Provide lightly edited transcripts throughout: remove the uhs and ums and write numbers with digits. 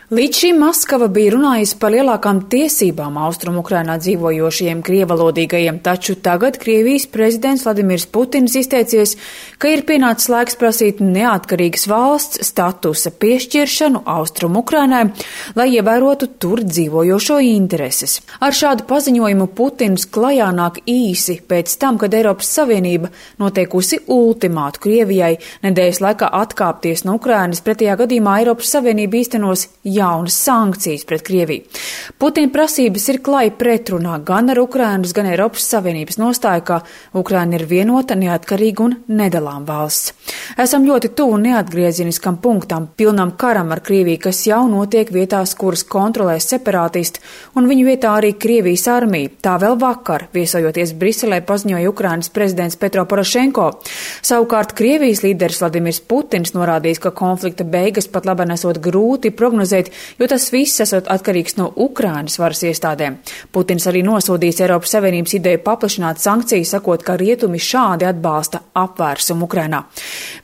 Līdz šim Maskava bija runājusi par lielākām tiesībām Austrumu-Ukrainā dzīvojošajiem krievalodīgajiem, taču tagad Krievijas prezidents Vladimirs Putins izteicies, ka ir pienācis laiks prasīt neatkarīgas valsts statusa piešķiršanu Austrumu-Ukrainai, lai ievērotu tur dzīvojošo intereses. Ar šādu paziņojumu Putins klajā nāk īsi pēc tam, kad Eiropas Savienība noteikusi ultimātu Krievijai nedēļas laikā atkāpties no Ukrainas, pretējā gadījumā Eiropas Savienība īstenos jaunas sankcijas pret Krieviju. Putina prasības ir klāji pretrunā gan ar Ukrainas, gan Eiropas Savienības nostāju, ka Ukraina ir vienota, neatkarīga un nedalām valsts. Esam ļoti tuvu neatgriezieniskam punktam, pilnam karam ar Krieviju, kas jau notiek vietās, kuras kontrolē separātisti, un viņu vietā arī Krievijas armija. Tā vēl vakar, viesojoties Briselē, paziņoja Ukrainas prezidents Petro Porošenko. Savukārt Krievijas līderis Vladimirs Putins norādījis, ka konflikta beigas pat labi nesot grūti prognozēt, jo tas viss esot atkarīgs no Ukrainas varas iestādēm. Putins arī nosodījis Eiropas Savienības ideju paplašināt sankcijas, sakot, ka rietumi šādi atbalsta apvērsumu Ukrainā.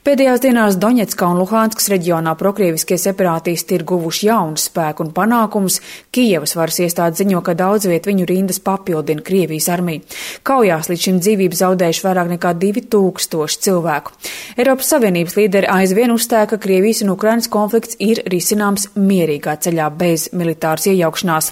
Pēdējās dienās Doņetskā un Luhanskas reģionā prokrieviskie separātisti ir guvuši jaunu spēku un panākumus. Kijevas varas iestāde ziņo, ka daudz viet viņu rindas papildina Krievijas armija. Kaujās līdz šim dzīvību zaudējuši vairāk nekā 2000 cilvēku. Eiropas Savienības līderi aizvien uzstāja, ka Krievijas un Ukrainas konflikts ir risināms mierīgā ceļā bez militāras iejaukšanās.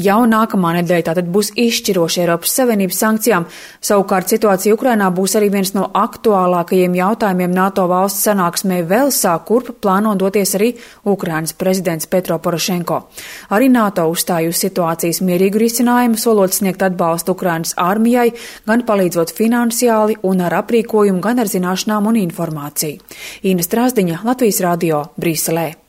Jau nākamā nedēļa tātad būs izšķiroša Eiropas Savienības sankcijām. Savukārt situācija Ukrainā būs arī viens no aktuālākajiem jautājumiem NATO valsts sanāksmē Velsā, kurp plāno doties arī Ukrainas prezidents Petro Porošenko. Arī NATO uzstāja uz situācijas mierīgu risinājumu, solot sniegt atbalstu Ukrainas armijai, gan palīdzot finansiāli un ar aprīkojumu, gan ar zināšanām un informāciju. Ina Strāzdiņa, Latvijas radio, Briselē.